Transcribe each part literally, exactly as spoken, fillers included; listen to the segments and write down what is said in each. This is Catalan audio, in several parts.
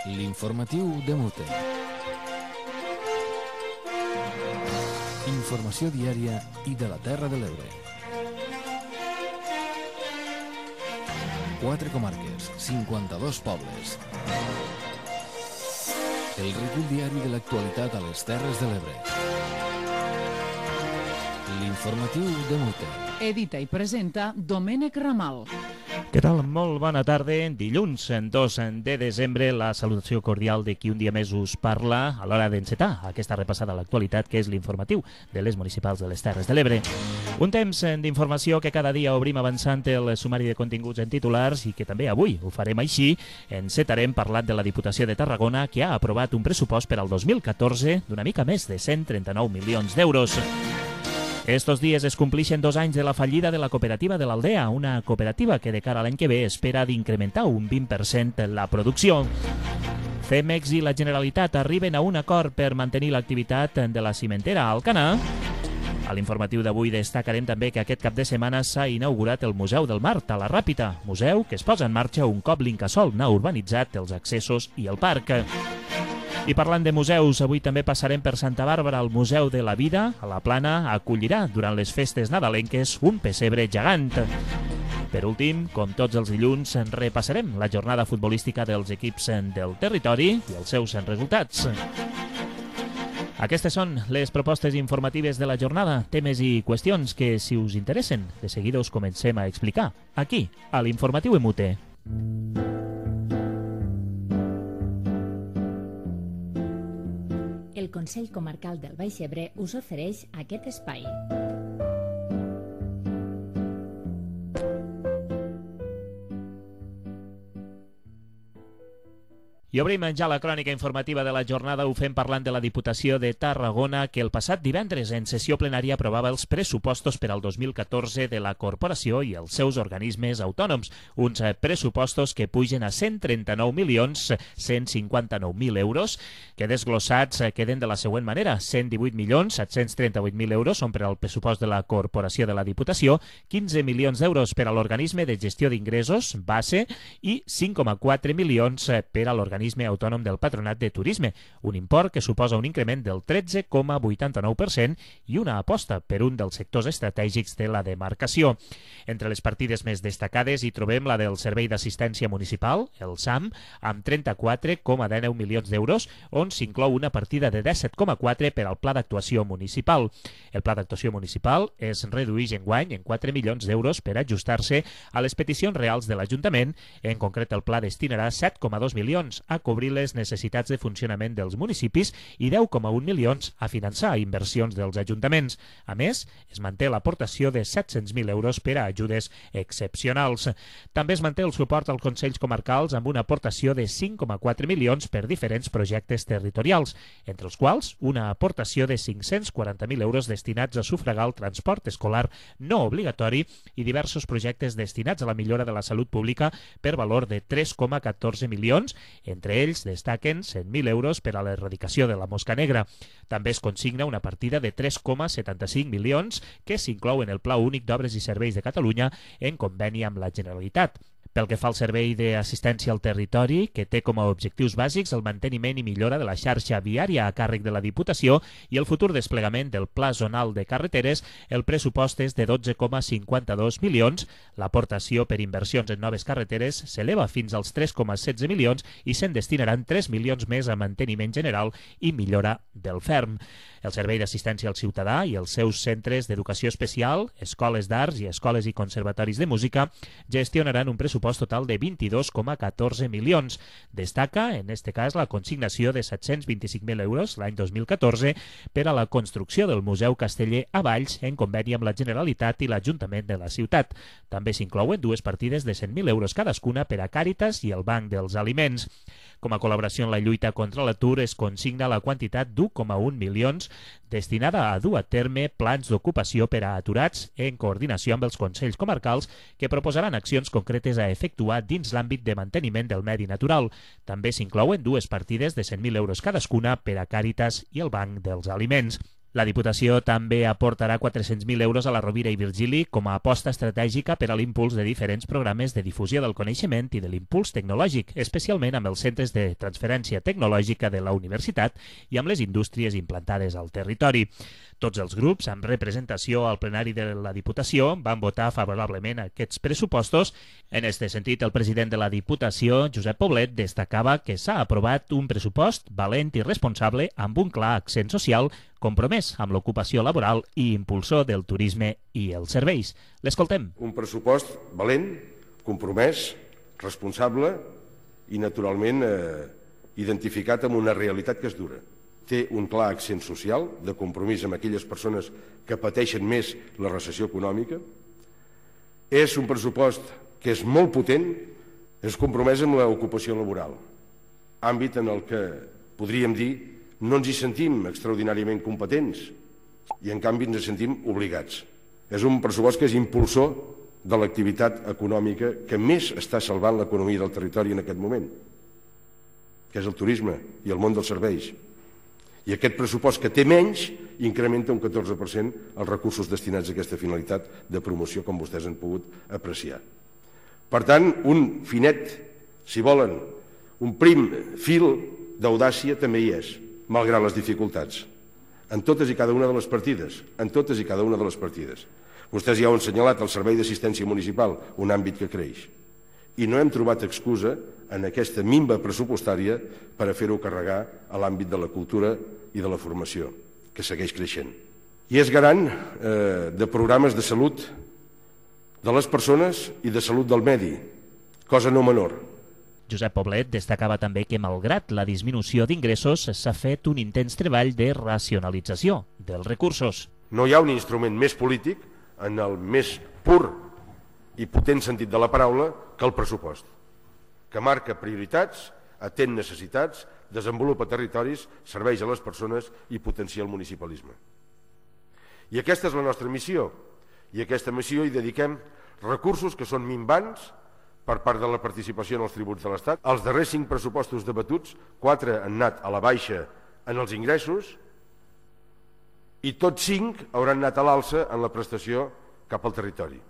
L'informatiu de Mute. Informació diària i de la Terra de l'Ebre. Quatre comarques, cinquanta-dos pobles. El recull diari de l'actualitat a les Terres de l'Ebre. L'informatiu de Mute. Edita i presenta Domènec Ramal. Què tal? Molt bona tarda. Dilluns dos de desembre, la salutació cordial de qui un dia més us parla a l'hora d'encetar aquesta repassada a l'actualitat que és l'informatiu de les municipals de les Terres de l'Ebre. Un temps d'informació que cada dia obrim avançant el sumari de continguts en titulars i que també avui ho farem així. Encetarem parlant de la Diputació de Tarragona, que ha aprovat un pressupost per al dos mil catorze d'una mica més de cent trenta-nou milions d'euros. Estos dies es complixen dos anys de la fallida de la cooperativa de l'Aldea, una cooperativa que de cara a l'any que ve espera d'incrementar un vint per cent la producció. Cemex i la Generalitat arriben a un acord per mantenir l'activitat de la cimentera a Alcanar. A l'informatiu d'avui destacarem també que aquest cap de setmana s'ha inaugurat el Museu del Mar a la Ràpita, museu que es posa en marxa un cop l'Incasòl n'ha urbanitzat els accessos i el parc. I parlant de museus, avui també passarem per Santa Bàrbara. El Museu de la Vida, a la Plana, acollirà durant les festes nadalenques un pessebre gegant. Per últim, com tots els dilluns, repassarem la jornada futbolística dels equips del territori i els seus resultats. Aquestes són les propostes informatives de la jornada, temes i qüestions que, si us interessen, de seguida us comencem a explicar, aquí, a l'Informatiu Emute. El Consell Comarcal del Baix Ebre us ofereix aquest espai. I obrim ja la crònica informativa de la jornada. Ho fem parlant de la Diputació de Tarragona, que el passat divendres en sessió plenària aprovava els pressupostos per al dos mil catorze de la corporació i els seus organismes autònoms. Uns pressupostos que pugen a cent trenta-nou milions cent cinquanta-nou mil euros, que desglossats queden de la següent manera. cent divuit milions set-cents trenta-vuit mil euros són per al pressupost de la corporació de la Diputació, quinze milions d'euros per a l'organisme de gestió d'ingressos, base, i cinc coma quatre milions per a l'organisme autònom del Patronat de Turisme, un import que suposa un increment del tretze coma vuitanta-nou per cent i una aposta per un dels sectors estratègics de la demarcació. Entre les partides més destacades hi trobem la del Servei d'Assistència Municipal, el SAM, amb trenta-quatre coma dinou milions d'euros, on s'inclou una partida de disset coma quatre per al Pla d'Actuació Municipal. El Pla d'Actuació Municipal es redueix enguany en quatre milions d'euros per ajustar-se a les peticions reals de l'Ajuntament. En concret, el pla destinarà set coma dos milions a cobrir les necessitats de funcionament dels municipis i deu coma un milions a finançar inversions dels ajuntaments. A més, es manté l'aportació de set-cents mil euros per a ajudes excepcionals. També es manté el suport als Consells Comarcals amb una aportació de cinc coma quatre milions per diferents projectes territorials, entre els quals una aportació de cinc-cents quaranta mil euros destinats a sufragar el transport escolar no obligatori i diversos projectes destinats a la millora de la salut pública per valor de tres coma catorze milions, entre ells destaquen cent mil euros per a l'erradicació de la mosca negra. També es consigna una partida de tres coma setanta-cinc milions que s'inclou en el Pla Únic d'Obres i Serveis de Catalunya en conveni amb la Generalitat. Pel que fa al servei d'assistència al territori, que té com a objectius bàsics el manteniment i millora de la xarxa viària a càrrec de la Diputació i el futur desplegament del Pla Zonal de Carreteres, el pressupost és de dotze coma cinquanta-dos milions. L'aportació per inversions en noves carreteres s'eleva fins als tres coma setze milions i se'n destinaran tres milions més a manteniment general i millora del ferm. El Servei d'Assistència al Ciutadà i els seus centres d'educació especial, escoles d'arts i escoles i conservatoris de música gestionaran un pressupost total de vint-i-dos coma catorze milions. Destaca, en este cas, la consignació de set-cents vint-i-cinc mil euros l'any dos mil catorze per a la construcció del Museu Casteller a Valls en conveni amb la Generalitat i l'Ajuntament de la ciutat. També s'inclouen dues partides de cent mil euros cadascuna per a Càritas i el Banc dels Aliments. Com a col·laboració en la lluita contra l'atur es consigna la quantitat d'un coma un milions destinada a dur a terme plans d'ocupació per a aturats en coordinació amb els Consells Comarcals que proposaran accions concretes a efectuar dins l'àmbit de manteniment del medi natural. També s'inclouen dues partides de cent mil euros cadascuna per a Càritas i el Banc dels Aliments. La Diputació també aportarà quatre-cents mil euros a la Rovira i Virgili com a aposta estratègica per a l'impuls de diferents programes de difusió del coneixement i de l'impuls tecnològic, especialment amb els centres de transferència tecnològica de la universitat i amb les indústries implantades al territori. Tots els grups, amb representació al plenari de la Diputació, van votar favorablement aquests pressupostos. En aquest sentit, el president de la Diputació, Josep Poblet, destacava que s'ha aprovat un pressupost valent i responsable amb un clar accent social, compromès amb l'ocupació laboral i impulsor del turisme i els serveis. L'escoltem. Un pressupost valent, compromès, responsable i, naturalment, eh, identificat amb una realitat que és dura. Té un clar accent social de compromís amb aquelles persones que pateixen més la recessió econòmica. És un pressupost que és molt potent, és compromès amb l'ocupació laboral, àmbit en el que podríem dir no ens hi sentim extraordinàriament competents i en canvi ens hi sentim obligats. És un pressupost que és impulsor de l'activitat econòmica que més està salvant l'economia del territori en aquest moment, que és el turisme i el món dels serveis. I aquest pressupost que té menys incrementa un catorze per cent els recursos destinats a aquesta finalitat de promoció, com vostès han pogut apreciar. Per tant, un finet, si volen, un prim fil d'audàcia també hi és, malgrat les dificultats, en totes i cada una de les partides, en totes i cada una de les partides. Vostès ja ho han assenyalat, el Servei d'Assistència Municipal, un àmbit que creix. I no hem trobat excusa en aquesta minva pressupostària per a fer-ho carregar a l'àmbit de la cultura i de la formació, que segueix creixent. I és garant eh, de programes de salut de les persones i de salut del medi, cosa no menor. Josep Poblet destacava també que, malgrat la disminució d'ingressos, s'ha fet un intens treball de racionalització dels recursos. No hi ha un instrument més polític, en el més pur i potent sentit de la paraula, que el pressupost, que marca prioritats, atén necessitats, desenvolupa territoris, serveis a les persones i potencia el municipalisme. I aquesta és la nostra missió, i a aquesta missió hi dediquem recursos que són minvants per part de la participació en els tributs de l'Estat. Els darrers cinc pressupostos debatuts, quatre han anat a la baixa en els ingressos i tots cinc hauran anat a l'alça en la prestació cap al territori.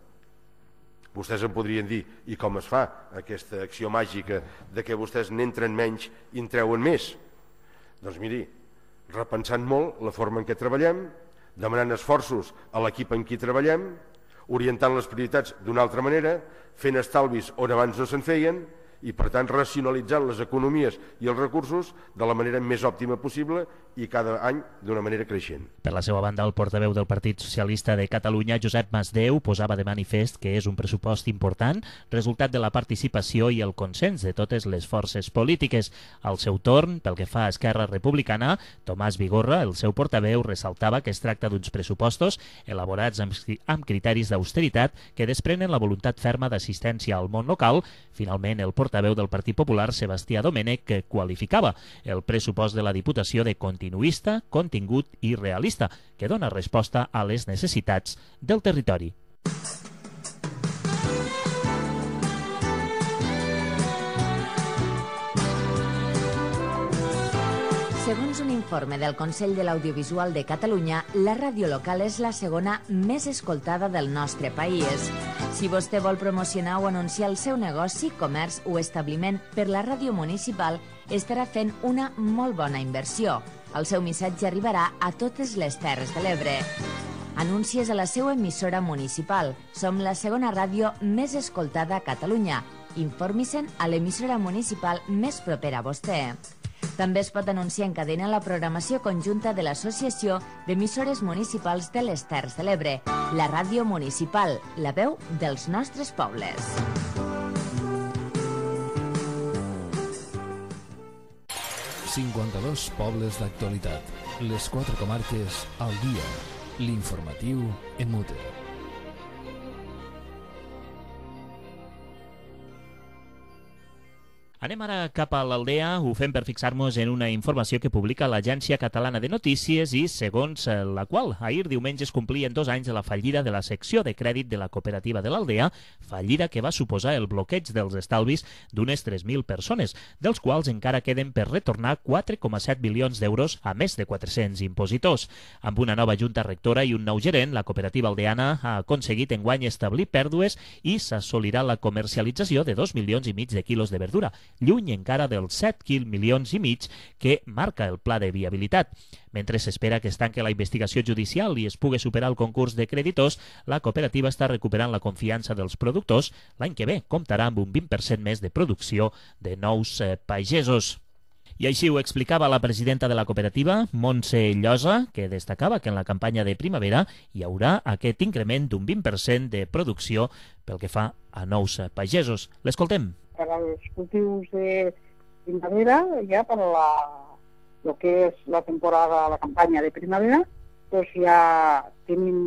Vostès em podrien dir, i com es fa aquesta acció màgica de que vostès n'entren menys i en treuen més? Doncs miri, repensant molt la forma en què treballem, demanant esforços a l'equip en qui treballem, orientant les prioritats d'una altra manera, fent estalvis on abans no se'n feien i, per tant, racionalitzant les economies i els recursos de la manera més òptima possible i cada any d'una manera creixent. Per la seva banda, el portaveu del Partit Socialista de Catalunya, Josep Masdeu, posava de manifest que és un pressupost important, resultat de la participació i el consens de totes les forces polítiques. Al seu torn, pel que fa a Esquerra Republicana, Tomàs Vigorra, el seu portaveu, ressaltava que es tracta d'uns pressupostos elaborats amb criteris d'austeritat que desprenen la voluntat ferma d'assistència al món local. Finalment, el portaveu del Partit Popular, Sebastià Domènech, qualificava el pressupost de la Diputació de continuista, contingut i realista, que dona resposta a les necessitats del territori. Segons un informe del Consell de l'Audiovisual de Catalunya, la ràdio local és la segona més escoltada del nostre país. Si vostè vol promocionar o anunciar el seu negoci, comerç o establiment per la ràdio municipal, estarà fent una molt bona inversió. El seu missatge arribarà a totes les Terres de l'Ebre. Anuncies a la seva emissora municipal. Som la segona ràdio més escoltada a Catalunya. Informi-se'n a l'emissora municipal més propera a vostè. També es pot anunciar en cadena la programació conjunta de l'Associació d'Emissores Municipals de les Terres de l'Ebre, la ràdio municipal, la veu dels nostres pobles. cinquanta-dos pobles d'actualitat. Les quatre comarques al dia. L'informatiu en mute. Anem ara cap a l'Aldea, ho fem per fixar-nos en una informació que publica l'Agència Catalana de Notícies i segons la qual ahir diumenge es complien dos anys de la fallida de la secció de crèdit de la cooperativa de l'Aldea, fallida que va suposar el bloqueig dels estalvis d'unes tres mil persones, dels quals encara queden per retornar quatre coma set milions d'euros a més de quatre-cents impositors. Amb una nova junta rectora i un nou gerent, la cooperativa aldeana ha aconseguit enguany establir pèrdues i s'assolirà la comercialització de dos milions i mig de quilos de verdura, lluny encara dels set milions i mig que marca el pla de viabilitat. Mentre s'espera que es tanque la investigació judicial i es pugui superar el concurs de creditors, la cooperativa està recuperant la confiança dels productors. L'any que ve comptarà amb un vint per cent més de producció de nous eh, pagesos. I així ho explicava la presidenta de la cooperativa, Montse Llosa, que destacava que en la campanya de primavera hi haurà aquest increment d'un vint per cent de producció pel que fa a nous eh, pagesos. L'escoltem. Per als cultius de primavera, ja per la, lo que és la temporada, la campanya de primavera, doncs ja tenim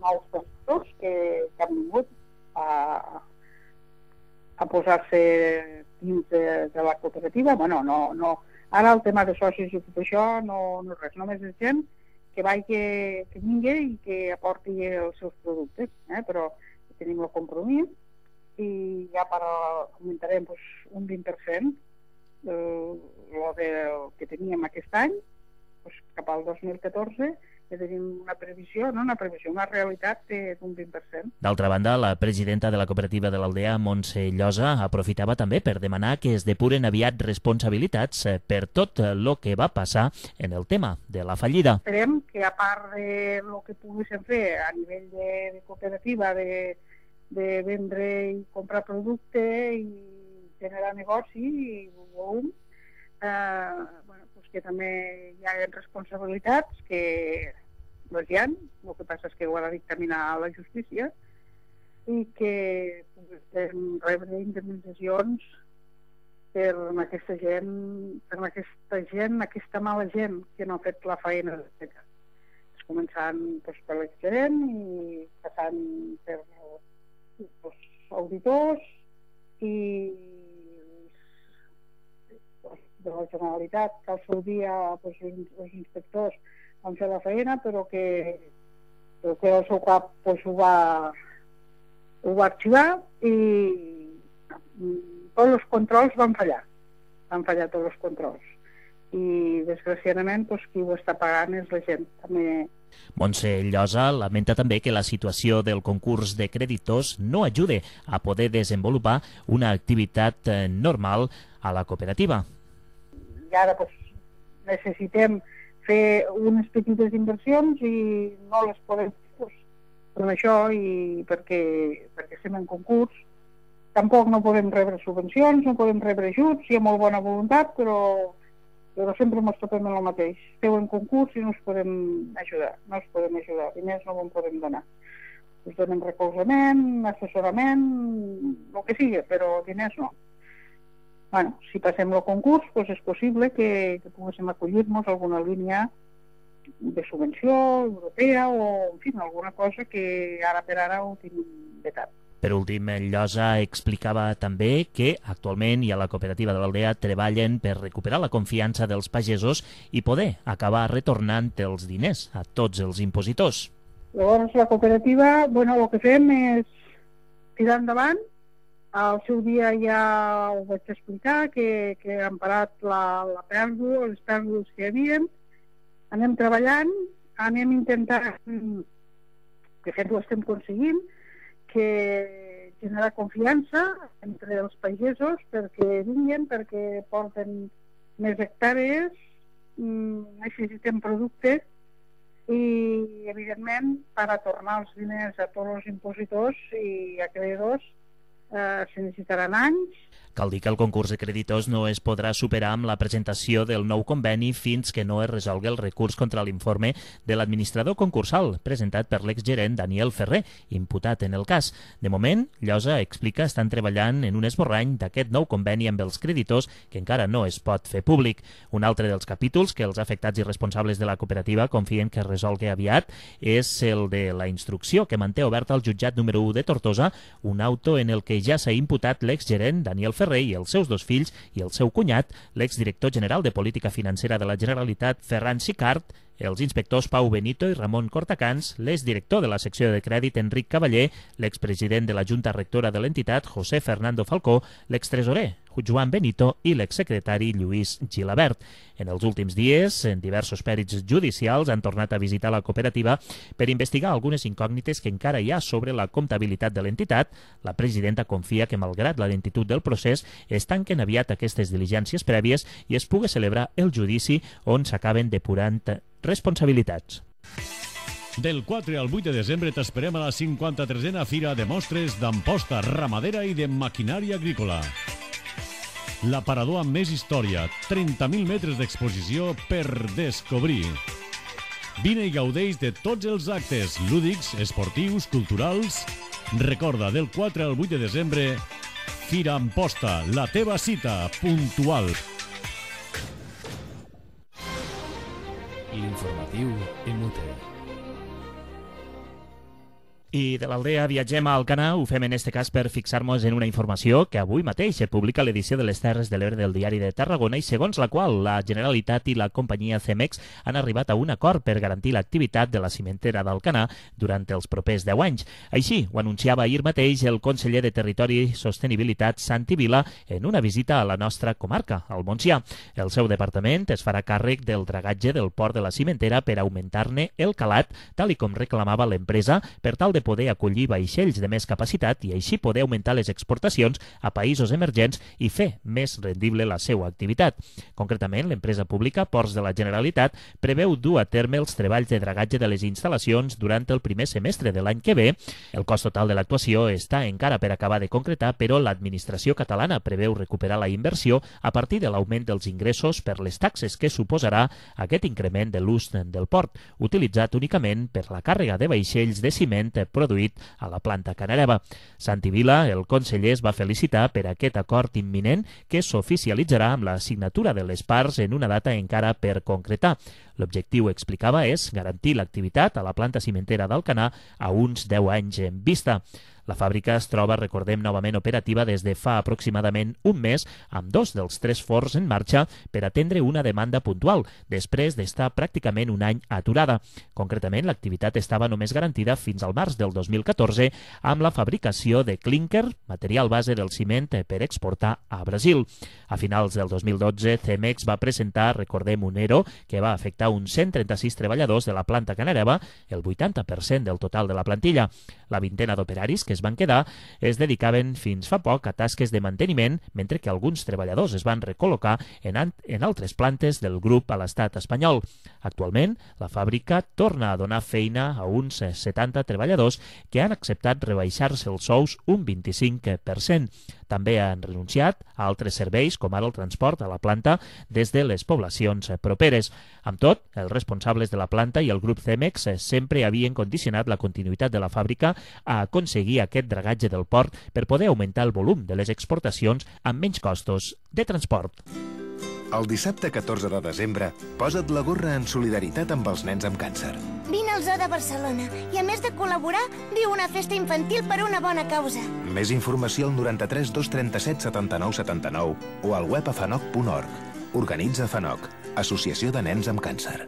nous tractors que, que han vingut a, a posar-se dins de, de la cooperativa. Bueno, no, no. Ara el tema de socis i tot això no, no res, només és gent que vagi que, que vingui i que aporti els seus productes, eh? Però tenim el compromís i ja per augmentarem pues, un vint per cent el del que teníem aquest any, pues, cap al dos mil catorze, que tenim una previsió, no una previsió, una realitat d'un vint per cent. D'altra banda, la presidenta de la cooperativa de l'Aldea, Montse Llosa, aprofitava també per demanar que es depuren aviat responsabilitats per tot el que va passar en el tema de la fallida. Esperem que a part de el que poguéssim fer a nivell de, de cooperativa, de de vendre i comprar producte i generar negoci i volum, eh, bueno, pues que també hi ha responsabilitats que les hi ha, el que passa és que ho ha de dictaminar la justícia i que puguem rebre indemnitzacions per aquesta gent, per aquesta gent, aquesta mala gent que no ha fet la feina de fet. Començant pues, per l'exgerent i passant per els auditors i de la Generalitat, que al seu dia pues, els inspectors van fer la feina, però que, però que el seu cap pues, ho, va, ho va arxivar i tots els controls van fallar. Van fallar tots els controls. I, desgraciadament, pues, qui ho està pagant és la gent. També... Montse Llosa lamenta també que la situació del concurs de creditors no ajude a poder desenvolupar una activitat normal a la cooperativa. I ara pues, necessitem fer unes petites inversions i no les podem fer pues, per això i perquè, perquè estem en concurs. Tampoc no podem rebre subvencions, no podem rebre ajuts, hi ha molt bona voluntat, però... però sempre ens topem en el mateix. Esteu en concurs i no us podem ajudar. No us podem ajudar. Diners no en podem donar. Us donem recolzament, assessorament, el que sigui, però diners no. Bueno, si passem el concurs, doncs és possible que, que poguéssim acollir-nos a alguna línia de subvenció europea o, en fi, alguna cosa que ara per ara ho tenim vetat. Per últim, Llosa explicava també que actualment i a la cooperativa de l'Aldea treballen per recuperar la confiança dels pagesos i poder acabar retornant els diners a tots els impositors. Llavors, la cooperativa, bueno, el que fem és tirar endavant. Al seu dia ja ho vaig explicar, que, que han parat la, la pèrdua, les pèrdues que hi havia. Anem treballant, anem intentant, de fet ho estem aconseguint, que generar confiança entre els pagesos perquè vinguin, perquè porten més hectàrees, necessitem productes i, evidentment, per a tornar els diners a tots els impositors i acreedors eh, se necessitaran anys. Cal dir que el concurs de creditors no es podrà superar amb la presentació del nou conveni fins que no es resolgui el recurs contra l'informe de l'administrador concursal presentat per l'exgerent Daniel Ferrer, imputat en el cas. De moment, Llosa explica estan treballant en un esborrany d'aquest nou conveni amb els creditors que encara no es pot fer públic. Un altre dels capítols que els afectats i responsables de la cooperativa confien que es resolgui aviat és el de la instrucció que manté oberta al jutjat número u de Tortosa, un auto en el que ja s'ha imputat l'exgerent Daniel Ferrer i els seus dos fills i el seu cunyat, l'exdirector general de Política Financera de la Generalitat, Ferran Sicart, els inspectors Pau Benito i Ramon Cortacans, l'exdirector de la secció de crèdit Enric Cavaller, l'expresident de la Junta Rectora de l'entitat José Fernando Falcó, l'extresorer Joan Benito i l'exsecretari Lluís Gilabert. En els últims dies, en diversos pèrits judicials han tornat a visitar la cooperativa per investigar algunes incògnites que encara hi ha sobre la comptabilitat de l'entitat. La presidenta confia que, malgrat la lentitud del procés, es tanquen aviat aquestes diligències prèvies i es pugui celebrar el judici on s'acaben depurant responsabilitats. Del quatre al vuit de desembre t'esperem a la cinquanta-tresena Fira de Mostres d'Amposta Ramadera i de Maquinària Agrícola. L'aparador amb més història, trenta mil metres d'exposició per descobrir. Vine i gaudeix de tots els actes lúdics, esportius, culturals. Recorda, del quatre al vuit de desembre, Fira Amposta, la teva cita puntual. L'informatiu Emute. I de l'Aldea viatgem a Alcanar, ho fem en este cas per fixar-nos en una informació que avui mateix se publica a l'edició de les Terres de l'Ebre del Diari de Tarragona i segons la qual la Generalitat i la companyia Cemex han arribat a un acord per garantir l'activitat de la cimentera d'Alcanar durant els propers deu anys. Així ho anunciava ahir mateix el conseller de Territori i Sostenibilitat, Santi Vila, en una visita a la nostra comarca, al Montsià. El seu departament es farà càrrec del dragatge del port de la cimentera per augmentar-ne el calat, tal i com reclamava l'empresa, per tal de poder acollir vaixells de més capacitat i així poder augmentar les exportacions a països emergents i fer més rendible la seva activitat. Concretament, l'empresa pública Ports de la Generalitat preveu dur a terme els treballs de dragatge de les instal·lacions durant el primer semestre de l'any que ve. El cost total de l'actuació està encara per acabar de concretar, però l'administració catalana preveu recuperar la inversió a partir de l'augment dels ingressos per les taxes que suposarà aquest increment de l'ús del port, utilitzat únicament per la càrrega de vaixells de ciment produït a la planta Canareva. Santi Vila, el conseller, es va felicitar per aquest acord imminent que s'oficialitzarà amb la signatura de les parts en una data encara per concretar. L'objectiu, explicava, és garantir l'activitat a la planta cimentera d'Alcanar a uns deu anys en vista. La fàbrica es troba, recordem, novament operativa des de fa aproximadament un mes, amb dos dels tres forns en marxa per atendre una demanda puntual, després d'estar pràcticament un any aturada. Concretament, l'activitat estava només garantida fins al març del dos mil catorze amb la fabricació de clínquer, material base del ciment per exportar a Brasil. A finals del dos mil dotze, Cemex va presentar, recordem, un E R O que va afectar uns cent trenta-sis treballadors de la planta Canareva, el vuitanta per cent del total de la plantilla. La vintena d'operaris que es van quedar es dedicaven fins fa poc a tasques de manteniment, mentre que alguns treballadors es van recol·locar en, en altres plantes del grup a l'estat espanyol. Actualment, la fàbrica torna a donar feina a uns setanta treballadors que han acceptat rebaixar-se els sous un vint-i-cinc per cent. També han renunciat a altres serveis, com ara el transport a la planta des de les poblacions properes. Amb tot, els responsables de la planta i el grup Cemex sempre havien condicionat la continuïtat de la fàbrica a aconseguir aquest dragatge del port per poder augmentar el volum de les exportacions amb menys costos de transport. El dissabte catorze de desembre, posa't la gorra en solidaritat amb els nens amb càncer. Vine al Zoo de Barcelona i, a més de col·laborar, viu una festa infantil per una bona causa. Més informació al noranta-tres dos trenta-set setanta-nou setanta-nou o al web a fanoc punt org. Organitza FANOC, Associació de Nens amb Càncer.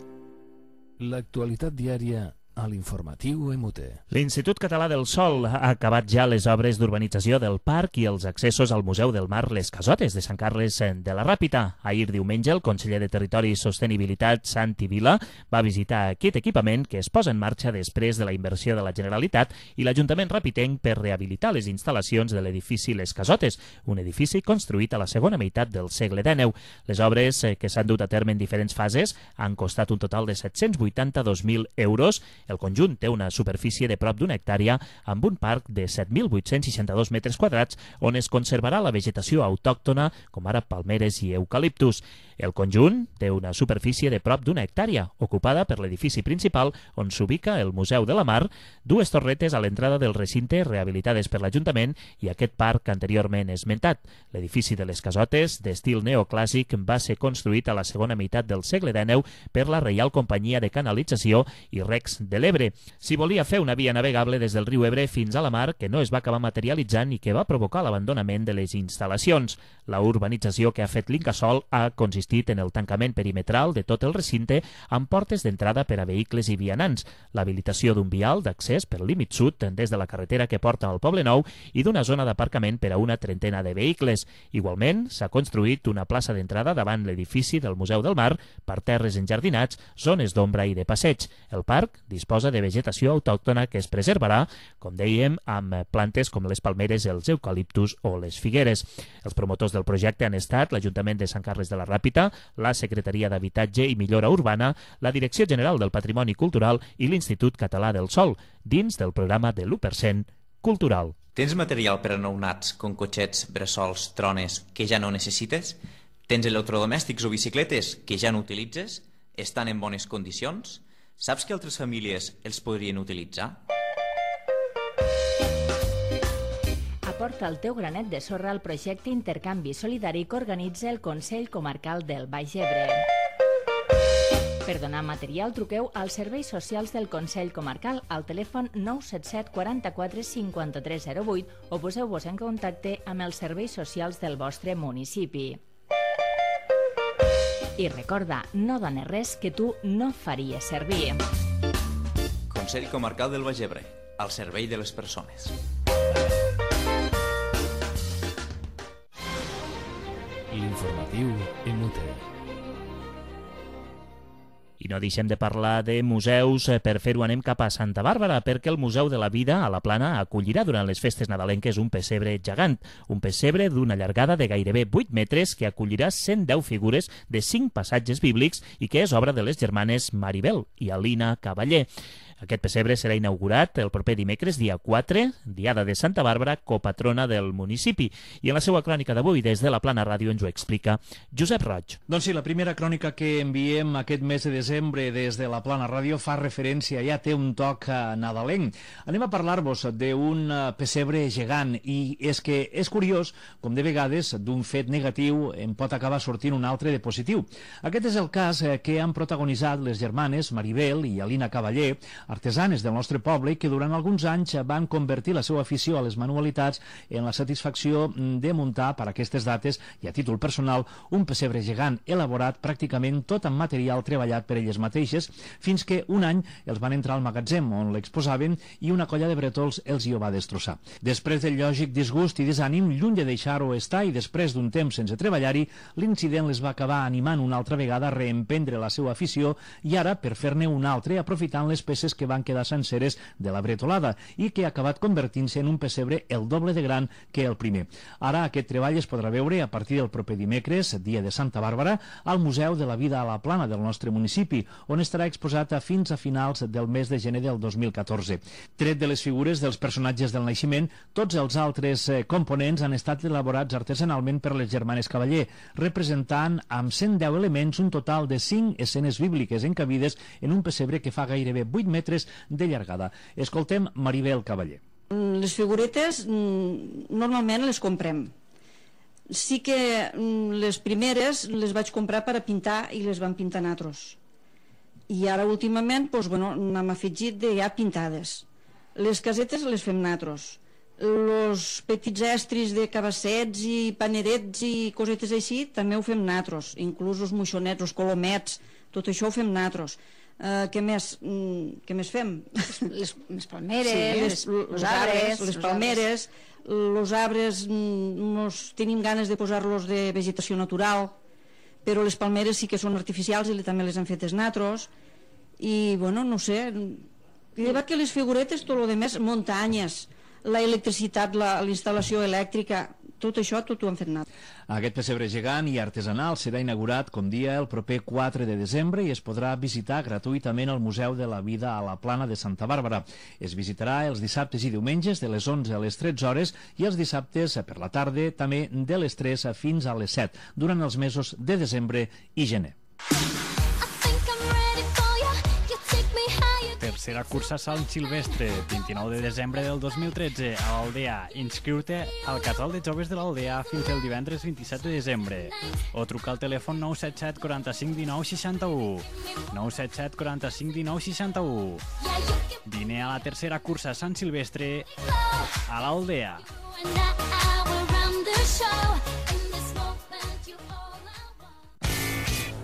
L'actualitat diària a l'informatiu Emute. L'Institut Català del Sòl ha acabat ja les obres d'urbanització del parc i els accessos al Museu del Mar Les Casotes de Sant Carles de la Ràpita. Ahir diumenge, el conseller de Territori i Sostenibilitat, Santi Vila, va visitar aquest equipament que es posa en marxa després de la inversió de la Generalitat i l'Ajuntament rapitenc per rehabilitar les instal·lacions de l'edifici Les Casotes, un edifici construït a la segona meitat del segle dènou. Les obres, que s'han dut a terme en diferents fases, han costat un total de set-cents vuitanta-dos mil euros. El conjunt té una superfície de prop d'una hectàrea amb un parc de set mil vuit-cents seixanta-dos metres quadrats on es conservarà la vegetació autòctona com ara palmeres i eucaliptus. El conjunt té una superfície de prop d'una hectàrea, ocupada per l'edifici principal on s'ubica el Museu de la Mar, dues torretes a l'entrada del recinte rehabilitades per l'Ajuntament i aquest parc anteriorment esmentat. L'edifici de les Casotes, d'estil neoclàssic, va ser construït a la segona meitat del segle dènou per la Reial Companyia de Canalització i Recs de l'Ebre. S'hi volia fer una via navegable des del riu Ebre fins a la mar que no es va acabar materialitzant i que va provocar l'abandonament de les instal·lacions. La urbanització que ha fet l'Incasòl ha consistit en el tancament perimetral de tot el recinte amb portes d'entrada per a vehicles i vianants, l'habilitació d'un vial d'accés pel límit sud des de la carretera que porta al Poble Nou i d'una zona d'aparcament per a una trentena de vehicles. Igualment, s'ha construït una plaça d'entrada davant l'edifici del Museu del Mar, parterres enjardinats, zones d'ombra i de passeig. El parc disposa de vegetació autòctona que es preservarà, com dèiem, amb plantes com les palmeres, els eucaliptus o les figueres. Els promotors del projecte han estat l'Ajuntament de Sant Carles de la Ràpita, la Secretaria d'Habitatge i Millora Urbana, la Direcció General del Patrimoni Cultural i l'Institut Català del Sol, dins del programa de l'u per cent cultural. Tens material per a nounats, com cotxets, bressols, trones, que ja no necessites? Tens electrodomèstics o bicicletes que ja no utilitzes? Estan en bones condicions? Saps que altres famílies els podrien utilitzar? Aporta el teu granet de sorra al projecte Intercanvi Solidari que organitza el Consell Comarcal del Baix Ebre. Per donar material, truqueu als serveis socials del Consell Comarcal al telèfon nou set set quaranta-quatre cinquanta-tres zero vuit o poseu-vos en contacte amb els serveis socials del vostre municipi. I recorda, no dones res que tu no faries servir. Consell Comarcal del Baix Ebre, al servei de les persones. L'informatiu en U T E. I no deixem de parlar de museus. Per fer-ho anem cap a Santa Bàrbara, perquè el Museu de la Vida a la Plana acollirà durant les festes nadalenques un pessebre gegant, un pessebre d'una llargada de gairebé vuit metres que acollirà cent deu figures de cinc passatges bíblics i que és obra de les germanes Maribel i Alina Cavaller. Aquest pessebre serà inaugurat el proper dimecres, dia quatre, diada de Santa Bàrbara, copatrona del municipi. I en la seva crònica d'avui, des de la Plana Ràdio, ens ho explica Josep Roig. Doncs sí, la primera crònica que enviem aquest mes de desembre des de la Plana Ràdio fa referència, ja té un toc nadalenc. Anem a parlar-vos d'un pessebre gegant, i és que és curiós com de vegades d'un fet negatiu en pot acabar sortint un altre de positiu. Aquest és el cas que han protagonitzat les germanes Maribel i Alina Cavaller, artesanes del nostre poble, que durant alguns anys van convertir la seva afició a les manualitats en la satisfacció de muntar per aquestes dates i a títol personal un pessebre gegant elaborat pràcticament tot amb material treballat per elles mateixes, fins que un any els van entrar al magatzem on l'exposaven i una colla de bretols els hi ho va destrossar. Després del lògic disgust i desànim, lluny de deixar-ho estar i després d'un temps sense treballar-hi, l'incident les va acabar animant una altra vegada a reemprendre la seva afició i ara per fer-ne una altra aprofitant les peces que van quedar senceres de la bretolada i que ha acabat convertint-se en un pessebre el doble de gran que el primer. Ara aquest treball es podrà veure a partir del proper dimecres, dia de Santa Bàrbara, al Museu de la Vida a la Plana del nostre municipi, on estarà exposat a fins a finals del mes de gener del dos mil catorze. Tret de les figures dels personatges del naixement, tots els altres components han estat elaborats artesanalment per les germanes Cavaller, representant amb cent deu elements un total de cinc escenes bíbliques encabides en un pessebre que fa gairebé vuit metres de llargada. Escoltem Maribel Cavaller. Les figuretes normalment les comprem. Sí que les primeres les vaig comprar per a pintar i les van pintar nosaltres. I ara últimament doncs, bueno, n'hem afegit de ja pintades. Les casetes les fem nosaltres. Els petits estris de cabassets i panerets i cosetes així també ho fem nosaltres. Inclús els moixonets, els colomets, tot això ho fem nosaltres. Uh, què més mm, què més fem? Les, les palmeres, sí, les, les, les arbres, les palmeres, els arbres nos tenim ganes de posar-los de vegetació natural, però les palmeres sí que són artificials i també les hem fetes nosaltres. I bueno, no sé, llevat que les figuretes, tot el que més, muntanyes, la electricitat, la, la instal·lació elèctrica, tot això tot ho han fet anar. Aquest pessebre gegant i artesanal serà inaugurat, com dia, el proper quatre de desembre i es podrà visitar gratuïtament al Museu de la Vida a la Plana de Santa Bàrbara. Es visitarà els dissabtes i diumenges de les onze a les tretze hores i els dissabtes per la tarda també de les tres fins a les set, durant els mesos de desembre i gener. Tercera cursa Sant Silvestre, vint-i-nou de desembre del dos mil tretze, a l'Aldea. Inscriu-te al casal de joves de l'Aldea fins el divendres vint-i-set de desembre. O truca al telèfon nou set set quaranta-cinc dinou seixanta-u. nou set set quaranta-cinc dinou seixanta-u. Vine a la tercera cursa Sant Silvestre a l'Aldea.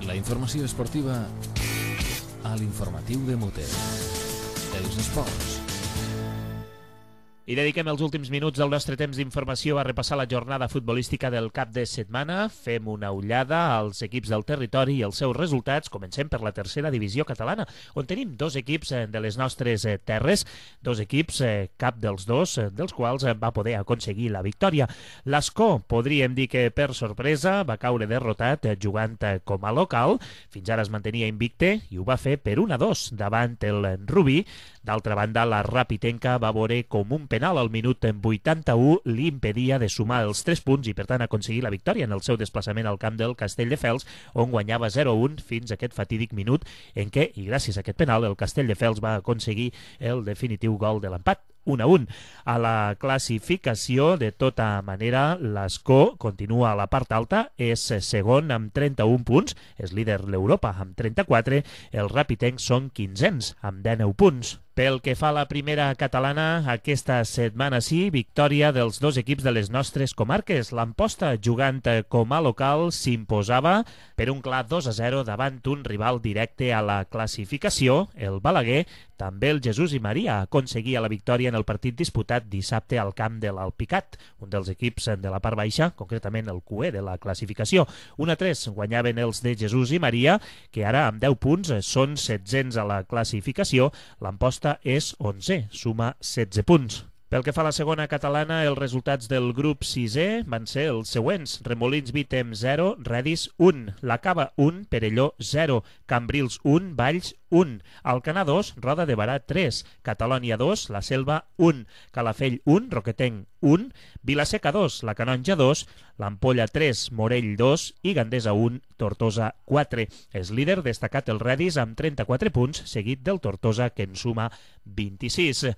La informació esportiva a l'informatiu de Mote. Els esports. I dediquem els últims minuts del nostre temps d'informació a repassar la jornada futbolística del cap de setmana. Fem una ullada als equips del territori i els seus resultats. Comencem per la tercera divisió catalana, on tenim dos equips de les nostres terres, dos equips, cap dels dos, dels quals va poder aconseguir la victòria. L'Escó, podríem dir que per sorpresa, va caure derrotat jugant com a local. Fins ara es mantenia invicte i ho va fer per un a dos davant el Rubí. D'altra banda, la Rapitenca va veure com un penal al minut vuitanta-u li impedia de sumar els tres punts i, per tant, aconseguir la victòria en el seu desplaçament al camp del Castelldefels, on guanyava zero a un fins a aquest fatídic minut en què, i gràcies a aquest penal, el Castelldefels va aconseguir el definitiu gol de l'empat. un a un. A la classificació, de tota manera, l'Escó continua a la part alta, és segon amb trenta-un punts, és líder l'Europa amb trenta-quatre, els rapitencs són quinzens amb dinou punts. Pel que fa a la primera catalana, aquesta setmana sí, victòria dels dos equips de les nostres comarques. L'Amposta, jugant com a local, s'imposava per un clar dos a zero davant un rival directe a la classificació, el Balaguer. També el Jesús i Maria aconseguia la victòria en el partit disputat dissabte al camp de l'Alpicat, un dels equips de la part baixa, concretament el Q E de la classificació. un a tres guanyaven els de Jesús i Maria, que ara amb deu punts són setzents a la classificació. L'Amposta és onze, suma setze punts. Pel que fa a la segona catalana, els resultats del grup sisè van ser els següents. Remolins Vítem zero, Redis un, La Cava un, Perelló zero, Cambrils un, Valls un, Alcanar dos, Roda de Barà tres, Catalònia dos, La Selva un, Calafell un, Roquetenc un, Vilaseca dos, La Canonja dos, l'Ampolla tres, Morell dos i Gandesa un, Tortosa quatre. És líder destacat el Redis amb trenta-quatre punts, seguit del Tortosa, que en suma vint-i-sis.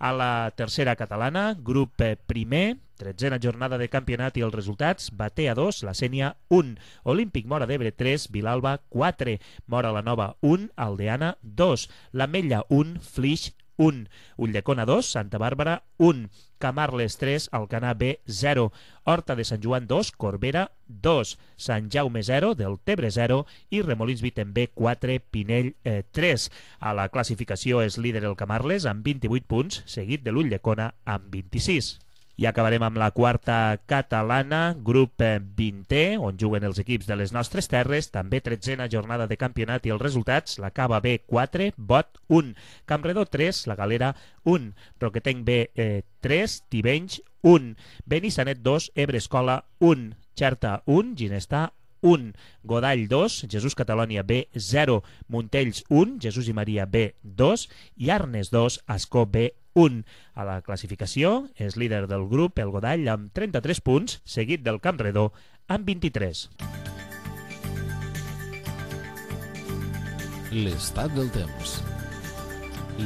A la tercera catalana, grup primer, tretzena jornada de campionat i els resultats: Batea dos, La Sénia un, Olímpic Móra d'Ebre tres, Vilalba quatre, Móra la Nova un, Aldeana dos, l'Ametlla un, Flix un, Ulldecona dos, Santa Bàrbara un, Camarles tres, Alcanar B zero, Horta de Sant Joan dos, Corbera dos, Sant Jaume zero, Deltebre zero i Remolins Vítem B quatre, Pinell eh, tres. A la classificació és líder el Camarles amb vint-i-vuit punts, seguit de l'Ulldecona amb vint-i-sis. I acabarem amb la quarta catalana, grup vintè, on juguen els equips de les nostres terres, també tretzena jornada de campionat i els resultats: La Cava B quatre, Bot un, Campredó tres, La Galera un, Roquetenc B eh, tres, Tivenys un, Benissanet dos, Ebrescola un, Xerta un, Ginestà un, Godall dos, Jesús Catalònia B zero, Montells un, Jesús i Maria B dos i Arnes dos, Ascó B un. A la classificació és líder del grup el Godall amb trenta-tres punts, seguit del Campredó amb vint-i-tres. L'estat del temps.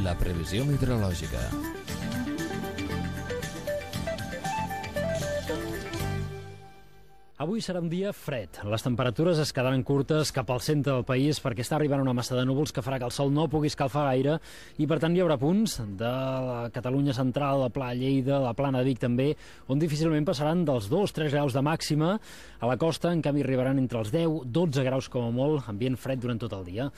La previsió meteorològica. Avui serà un dia fred. Les temperatures es quedaran curtes cap al centre del país perquè està arribant una massa de núvols que farà que el sol no pugui escalfar gaire i, per tant, hi haurà punts de la Catalunya central, la Pla Lleida, la Plana de Vic també, on difícilment passaran dels dos a tres graus de màxima. A la costa, en canvi, arribaran entre els deu i dotze graus com a molt, ambient fred durant tot el dia.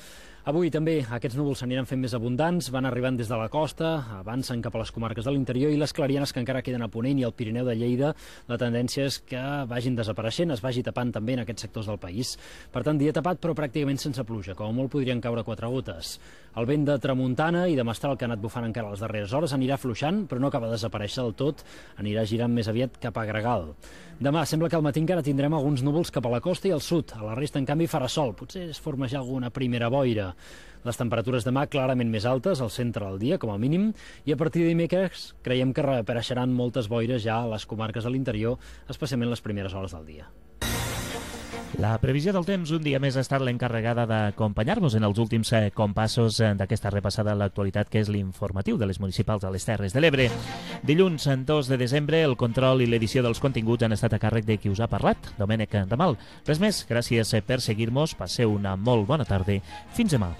Avui també aquests núvols s'aniran fent més abundants, van arribant des de la costa, avancen cap a les comarques de l'interior i les clarianes que encara queden a Ponent i al Pirineu de Lleida, la tendència és que vagin desapareixent, es vagi tapant també en aquests sectors del país. Per tant, dia tapat però pràcticament sense pluja, com a molt podrien caure quatre gotes. El vent de tramuntana i de mestral que ha anat bufant encara les darreres hores anirà afluixant, però no acaba de desaparèixer del tot, anirà girant més aviat cap a Gregal. Demà sembla que al matí encara tindrem alguns núvols cap a la costa i al sud, a la resta en canvi farà sol, potser es forma ja alguna primera boira. Les temperatures demà clarament més altes, al centre del dia, com a mínim, i a partir de dimecres creiem que reapareixeran moltes boires ja a les comarques de l'interior, especialment les primeres hores del dia. La previsió del temps un dia més ha estat l'encarregada d'acompanyar-vos en els últims compassos d'aquesta repassada a l'actualitat que és l'informatiu de les municipals a les Terres de l'Ebre. Dilluns, dos de desembre, el control i l'edició dels continguts han estat a càrrec de qui us ha parlat, Domènec Ramal. Res més, gràcies per seguir-nos, passeu una molt bona tarda. Fins demà.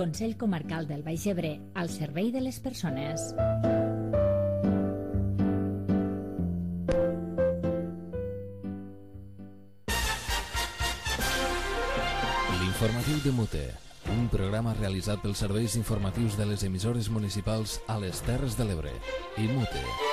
Consell Comarcal del Baix Ebre, al servei de les persones. L'informatiu de Mute, un programa realitzat pels serveis informatius de les emissores municipals a les Terres de l'Ebre i Mute.